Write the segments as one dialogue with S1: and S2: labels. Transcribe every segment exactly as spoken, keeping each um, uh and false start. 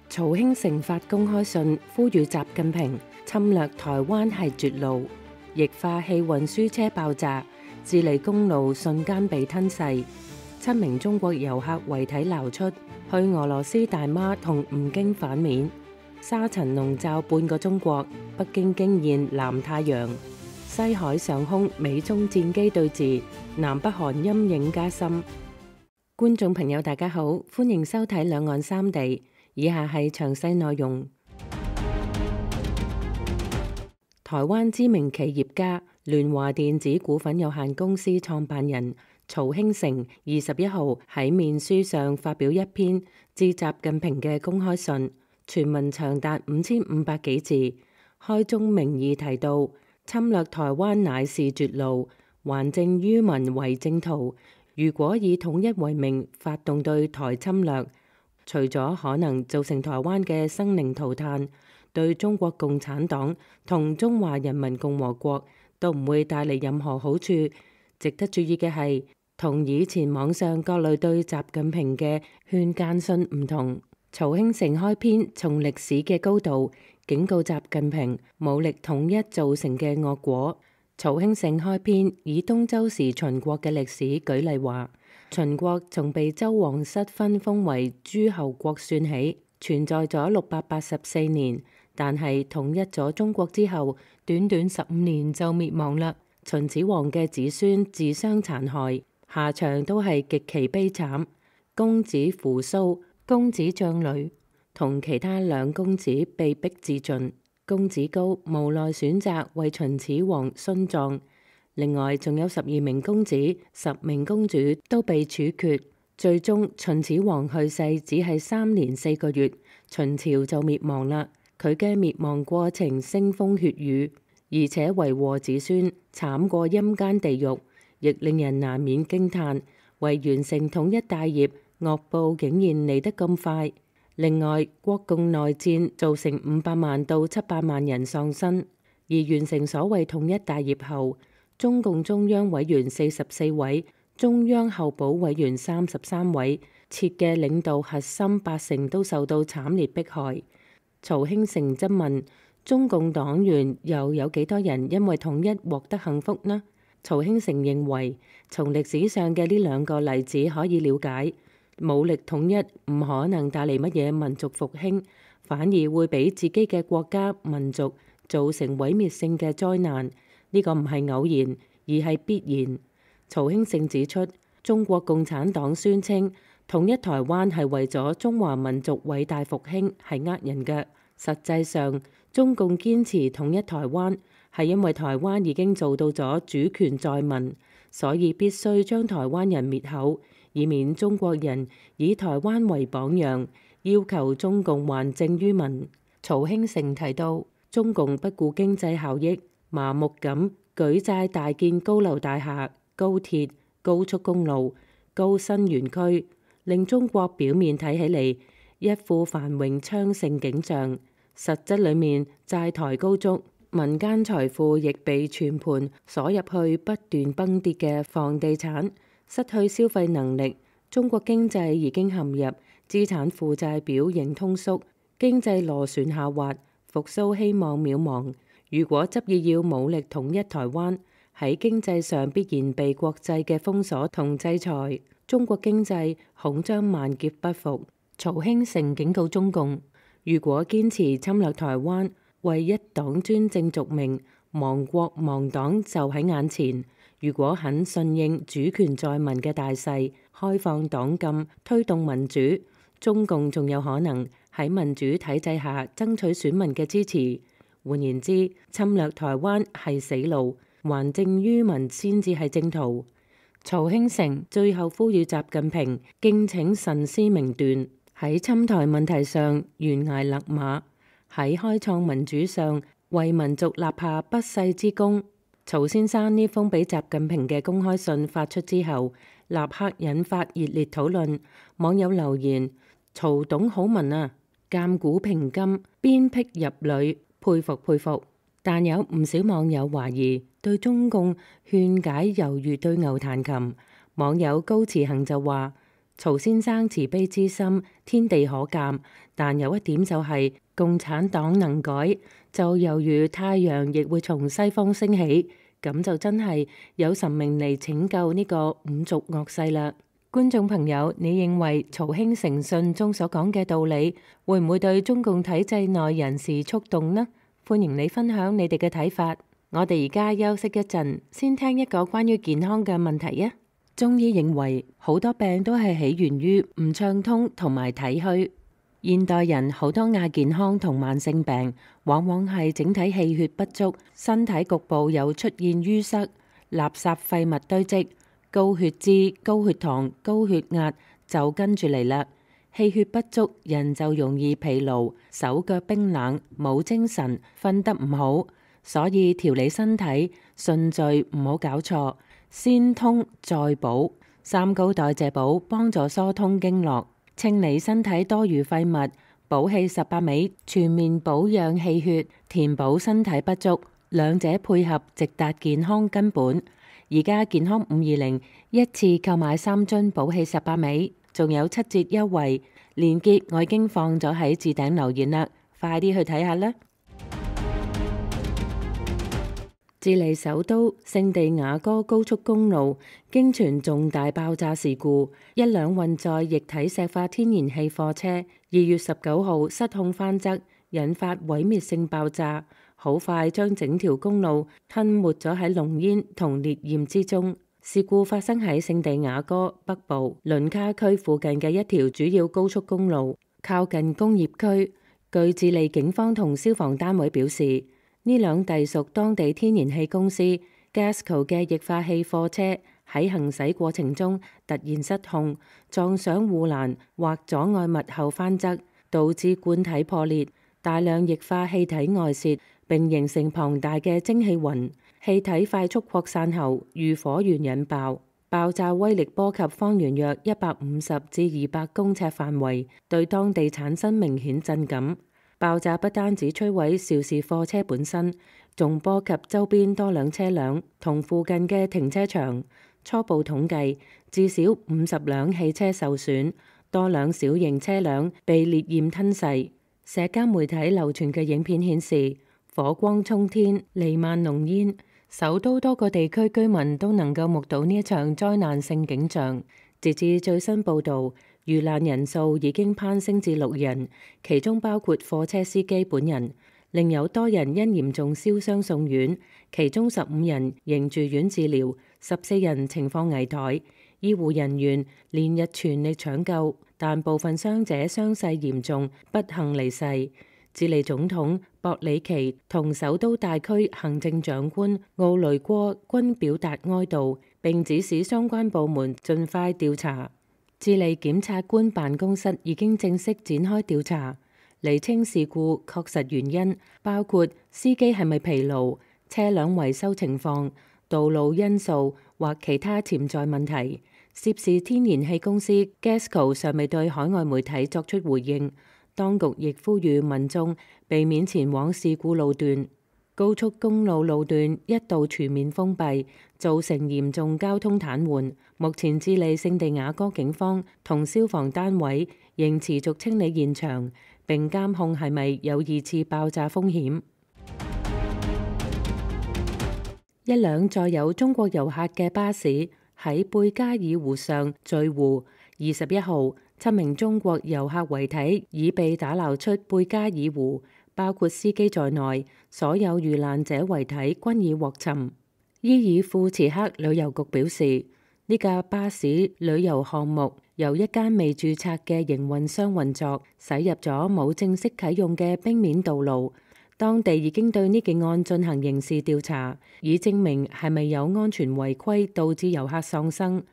S1: 曹興誠發公開信呼籲習近平侵略台灣係絕路，液化氣運輸車爆炸，智利公路瞬間被吞噬，七名中國遊客遺體撈出，去俄羅斯大媽同吳京反面，沙塵籠罩半個中國，北京驚現南太陽，西海上空美中戰機對峙，南北韓陰影加深。觀眾朋友大家好，歡迎收睇兩岸三地。以下係詳細內容。台灣知名企業家聯華電子股份有限公司創辦人曹興誠二十一號喺面書上發表一篇致習近平嘅公開信，全文長達五千五百幾字，開宗明義提到侵略台灣乃是絕路，還政於民為正途。如果以統一為名發動對台侵略，除咗可能造成台灣嘅生靈塗炭，對中國共產黨同中華人民共和國都唔會帶嚟任何好處。值得注意嘅係，同以前網上各類對習近平嘅勸諫信唔同，曹興誠開篇從歷史嘅高度警告習近平武力統一造成嘅惡果。曹興誠開篇以東周時秦國嘅歷史舉例話，秦國從被周王室分封為諸侯國算起，存在咗六百八十四年，但係統一咗中國之後，短短十五年就滅亡啦。秦始皇嘅子孫自相殘害，下場都係極其悲慘。公子扶蘇、公子將雷同其他兩公子被逼自盡，公子高無奈選擇為秦始皇殉葬。另外仲有十二名公子、十名公主都被處決，最終秦始皇去世只係三年四個月，秦朝就滅亡啦。佢嘅滅亡過程腥風血雨，而且為禍子孫，慘過陰間地獄，亦令人難免驚嘆，為完成統一大業，惡報竟然嚟得咁快。另外，國共內戰造成五百萬到七百萬人喪生，而完成所謂統一大業後，中共中央委員四十四位，中央候補委員三十三位，設嘅領導核心八成都受到慘烈迫害。曹興誠質問：中共黨員又有幾多人因為統一獲得幸福呢？曹興誠認為，從歷史上嘅呢兩個例子可以了解，武力統一唔可能帶嚟乜嘢民族復興，反而會俾自己嘅國家民族造成毀滅性嘅災難。呢個唔係偶然，而係必然。曹興誠指出，中國共產黨宣稱統一台灣係為咗中華民族偉大復興，係呃人嘅。實際上，中共堅持統一台灣係因為台灣已經做到咗主權在民，所以必須將台灣人滅口，以免中國人以台灣為榜樣，要求中共還政於民。曹興誠提到，中共不顧經濟效益，麻木咁舉債大建高樓大廈、高鐵、高速公路、高新園區，令中國表面睇起嚟一副繁榮昌盛景象，實質裏面債台高築，民間財富亦被全盤鎖入去不斷崩跌嘅房地產，失去消費能力。中國經濟已經陷入資產負債表型通縮，經濟螺旋下滑，復甦希望渺茫。如果執意要武力統一台灣，喺經濟上必然被國際嘅封鎖同制裁，中國經濟恐將萬劫不復。曹興誠警告中共，如果堅持侵略台灣，為一黨專政續命，亡國亡黨就喺眼前。如果肯順應主權在民嘅大勢，開放黨禁，推動民主，中共仲有可能喺民主體制下爭取選民嘅支持。換言之，侵略台灣係死路，還政於民先至係正途。曹興誠最後呼籲習近平敬請慎思明斷，喺侵台問題上懸崖勒馬，喺開創民主上為民族立下不世之功。曹先生呢封俾習近平嘅公開信發出之後，立刻引發熱烈討論。網友留言：曹董好文啊，鑑古評今，鞭辟入裡。佩服佩服，但有唔少網友懷疑對中共勸解猶如對牛彈琴。網友高慈恒就話：曹先生慈悲之心，天地可鑑，但有一點就係、是、共產黨能改，就猶如太陽亦會從西方升起，咁就真係有神明嚟拯救呢個五族惡世啦。觀眾朋友，你認為曹興誠信中所講嘅道理，會唔會對中共體制內人士觸動呢？歡迎你分享你哋嘅睇法。我哋而家休息一陣，先聽一個關於健康嘅問題啊。中醫認為好多病都係起源於唔暢通同埋體虛。現代人好多亞健康同慢性病，往往係整體氣血不足，身體局部有出現淤塞、垃圾廢物堆積、高血脂、高血糖、高血壓就跟住嚟啦。氣血不足，人就容易疲勞、手腳冰冷、冇精神、瞓得唔好。所以調理身體順序唔好搞錯，先通再補，三高代謝補幫助疏通經絡，清理身體多餘廢物，補氣十八味，全面保養氣血，填補身體不足，兩者配合直達健康根本。而家健康五二零一次購買三樽補氣十八味，仲有七折優惠，鏈接我已經放咗喺置頂留言啦，快啲去睇下啦！智利首都聖地亞哥高速公路驚傳重大爆炸事故，一輛運載液體石化天然氣貨車二月十九號失控翻側，引發毀滅性爆炸，好快將整條公路吞沒咗喺濃煙同烈焰之中。事故發生喺聖地亞哥北部倫卡區附近嘅一條主要高速公路，靠近工業區。據智利警方同消防單位表示，呢輛隸屬當地天然氣公司 Gasco 嘅液化氣貨車喺行駛過程中突然失控，撞上護欄或阻礙物後翻側，導致罐體破裂，大量液化氣體外泄，並形成龐大嘅蒸汽雲。氣體快速擴散後，如火源引爆，爆炸威力波及方圓約一百五十至二百公尺範圍，對當地產生明顯震感。爆炸不單止摧毀肇事貨車本身，仲波及周邊多輛車輛同附近嘅停車場。初步統計，至少五十輛汽車受損，多輛小型車輛被烈焰吞噬。社交媒體流傳嘅影片顯示，火光衝天，彌漫濃煙，首都多個地區居民都能夠目睹呢一場災難性景象。截至最新報導，遇難人數已經攀升至六人，其中包括貨車司機本人，另有多人因嚴重燒傷送院，其中十五人仍住院治療，十四人情況危殆。醫護人員連日全力搶救，但部分傷者傷勢嚴重，不幸離世。智利總統博里奇同首都大區行政長官奧雷戈均表達哀悼，並指使相關部門盡快調查。智利檢察官辦公室已經正式展開調查，釐清事故確實原因，包括司機係咪疲勞、車輛維修情況、道路因素或其他潛在問題。涉事天然氣公司 Gasco 尚未對海外媒體作出回應，當局亦呼籲民眾避免前往事故路段。高速公路路段一度全面封閉，造成嚴重交通癱瘓。目前智利聖地亞哥警方同消防單位仍持續清理現場，並監控係咪有二次爆炸風險。一輛載有中國遊客嘅巴士喺貝加爾湖上墜湖，二十一號七名中國遊客遺體已被打撈出貝加爾湖。包括司機在內，所有遇難者遺體均已獲尋。伊爾庫茨克旅遊局表示，呢架巴士旅遊項目由一間未註冊嘅營運商運作，駛入咗冇正式啟用嘅冰面道路。當地已經對呢件案進行刑事調查，以證明係咪有安全違規導致遊客喪生。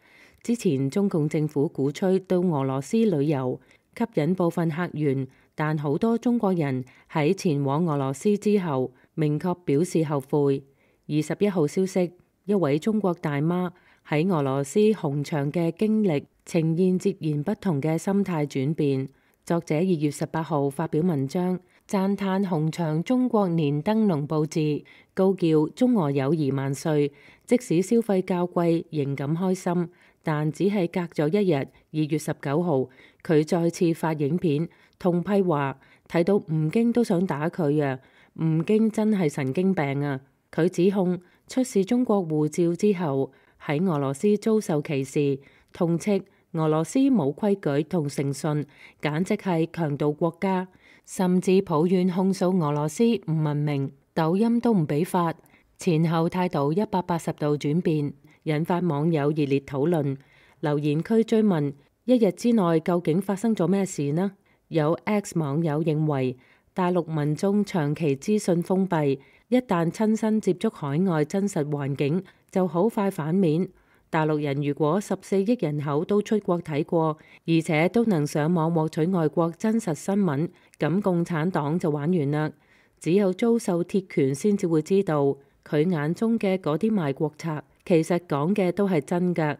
S1: 之前中共政府鼓吹到俄羅斯旅遊，吸引部分客源。但好多中國人喺前往俄羅斯之後，明確表示後悔。二十一號消息，一位中國大媽喺俄羅斯紅場嘅經歷，呈現截然不同嘅心態轉變。作者二月十八號發表文章，讚嘆紅場中國年燈籠佈置，高叫中俄友誼萬歲。即使消費較貴，仍感開心。但只係隔咗一日，二月十九號，佢再次發影片痛批話睇到吳京都想打佢啊！吳京真係神經病啊！佢指控出示中國護照之後喺俄羅斯遭受歧視，痛斥俄羅斯冇規矩同誠信，簡直係強盜國家，甚至抱怨控訴俄羅斯唔文明，抖音都唔俾發，前後態度一百八十度轉變，引發網友熱烈討論。留言區追問一日之內究竟發生咗咩事呢？有 X 網友認為大陸民眾長期資訊封閉，一旦親身接觸海外真實環境就好快反面。大陸人如果十四億人口都出國睇過，而且都能上網獲取外國真實新聞，咁共產黨就玩完啦。只有遭受鐵拳先至會知道，佢眼中嘅嗰啲賣國賊其實講嘅都係真㗎。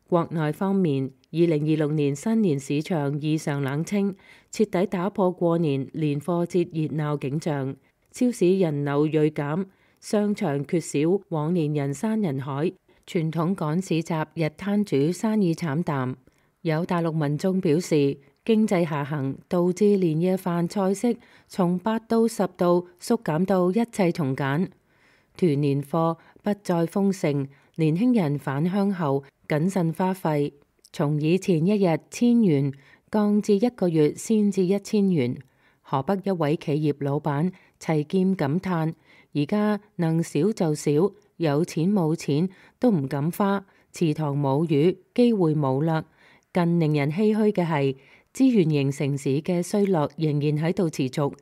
S1: 國內方面，二零二六年新年市場異常冷清，徹底打破過年年貨節熱鬧景象。超市人流銳減，商場缺少往年人山人海，傳統趕市集日攤主生意慘淡。有大陸民眾表示，經濟下行導致年夜飯菜式從八到十道縮減到一切從簡，團年貨不再豐盛，年輕人返鄉後謹慎花費，從以前一日千元降至一個月先至一千元。河北一位企業老闆齊劍感嘆：而家能少就少，有錢冇錢都唔敢花，池塘冇魚，機會冇啦。更令人唏噓嘅係，資源型城市嘅衰落仍然喺度持續。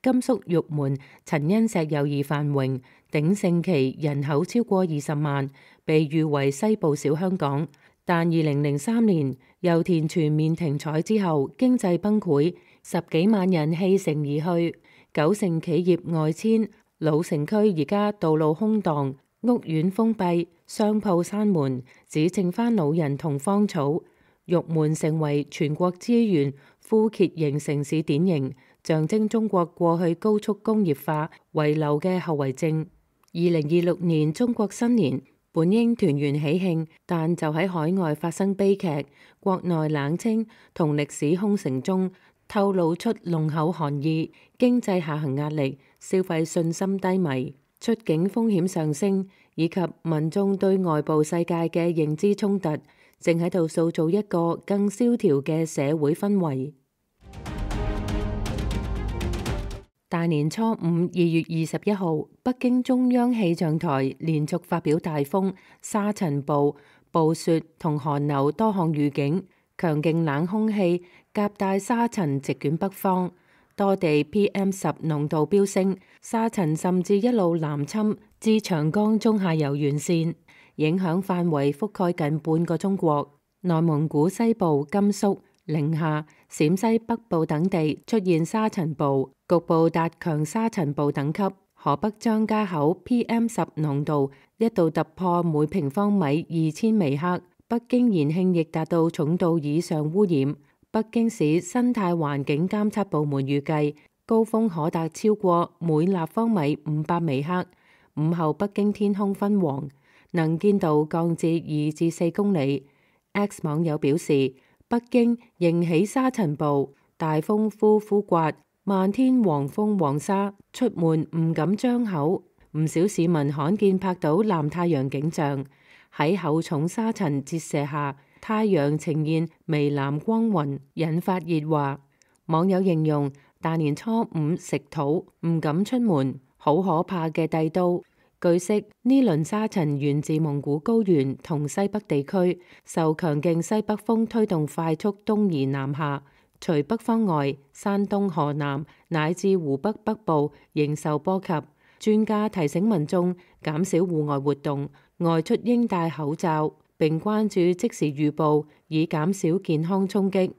S1: 甘肅玉門曾因石油而繁榮，鼎盛期人口超過二十萬，被譽為西部小香港。但二零零三年油田全面停採之後，經濟崩潰，十幾萬人棄城而去，九成企業外遷，老城區而家道路空蕩，屋苑封閉，商鋪閂門，只剩返老人同荒草。玉門成為全國資源枯竭型城市典型，象徵中國過去高速工業化遺留嘅後遺症。二零二六年中國新年本應團圓喜慶，但就喺海外發生悲劇，國內冷清同歷史空城中透露出濃厚寒意，經濟下行壓力、消費信心低迷、出境風險上升，以及民眾對外部世界嘅認知衝突，正喺度塑造一個更蕭條嘅社會氛圍。大年初五，二月二十一號，北京中央氣象台連續發表大風、沙塵暴、暴雪同寒流多項預警，強勁冷空氣夾帶沙塵席捲北方，多地 P M 十 濃度飆升，沙塵甚至一路南侵至長江中下游沿線，影響範圍覆蓋近半個中國。內蒙古西部、甘肅、寧夏、陝西北部等地出現沙塵暴，局部達強沙塵暴等級。河北張家口 P M 十 濃度一度突破每平方米二千微克，北京延慶亦達到重度以上污染。北京市生態環境監測部門預計高峰可達超過每立方米五百微克。午後北京天空昏黃，能見度降至二至四公里。X 網友表示，北京迎起沙塵暴，大風呼呼刮，漫天黃風黃沙，出門唔敢張口。唔少市民罕見拍到藍太陽景象，喺厚重沙塵折射下，太陽呈現微藍光暈，引發熱話。網友形容大年初五食土，唔敢出門，好可怕嘅帝都。據悉，呢輪沙塵源自蒙古高原同西北地區，受強勁西北風推動快速東移南下。除北方外，山東、河南乃至湖北北部仍受波及。專家提醒民眾減少戶外活動，外出應戴口罩，並關注即時預報，以減少健康衝擊。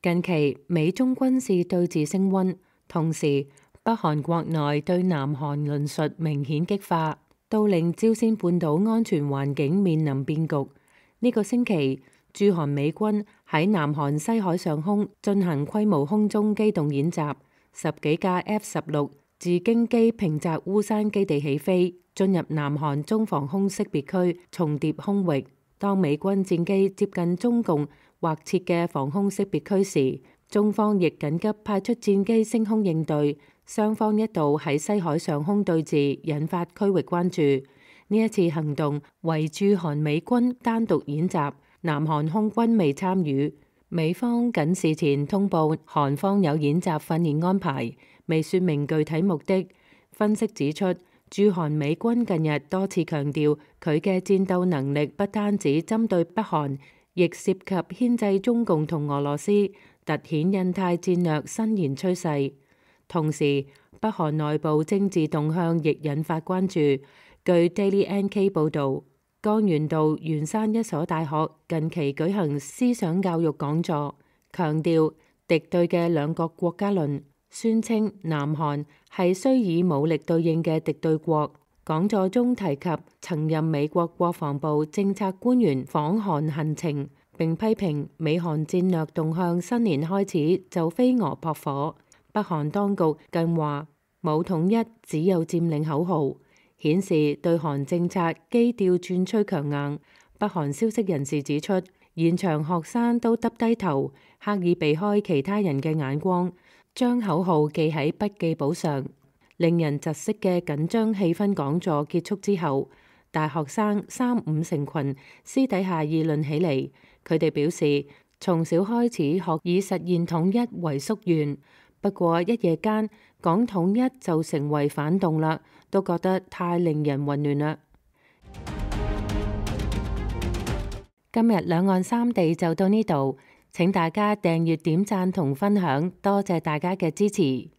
S1: 近期美中軍事對峙升溫，同時北韓國內對南韓論述明顯激化，都令朝鮮半島安全環境面臨變局。呢、這個星期，駐韓美軍喺南韓西海上空進行規模空中機動演習，十幾架 F 十六自京機平澤烏山基地起飛，進入南韓中防空識別區，重疊空域。當美軍戰機接近中共劃設嘅防空識別區時，中方亦緊急派出戰機升空應對。雙方一度喺西海上空對峙，引發區域關注。呢一次行動為駐韓美軍單獨演習，南韓空軍未參與。美方僅事前通報韓方有演習訓練安排，未說明具體目的。分析指出，駐韓美軍近日多次強調佢嘅戰鬥能力不單止針對北韓，亦涉及牽制中共同俄羅斯，凸顯印太戰略伸延趨勢。同時，北韓內部政治動向亦引發關注。據 Daily N K 報導，江原道元山一所大學近期舉行思想教育講座，強調敵對嘅兩個國家論，宣稱南韓係需以武力對應嘅敵對國。講座中提及曾任美國國防部政策官員訪韓行程，並批評美韓戰略動向新年開始就飛蛾撲火。北韓當局更話冇統一，只有佔領口號，顯示對韓政策基調轉趨強硬。北韓消息人士指出，現場學生都耷低頭，刻意避開其他人嘅眼光，將口號記喺筆記簿上。令人窒息嘅緊張氣氛講座結束之後，大學生三五成群私底下議論起嚟。佢哋表示，從小開始學以實現統一為夙願，不過一夜間講統一就成為反動啦，都覺得太令人混亂啦。今日兩岸三地就到呢度，請大家訂閱、點讚同分享，多謝大家嘅支持。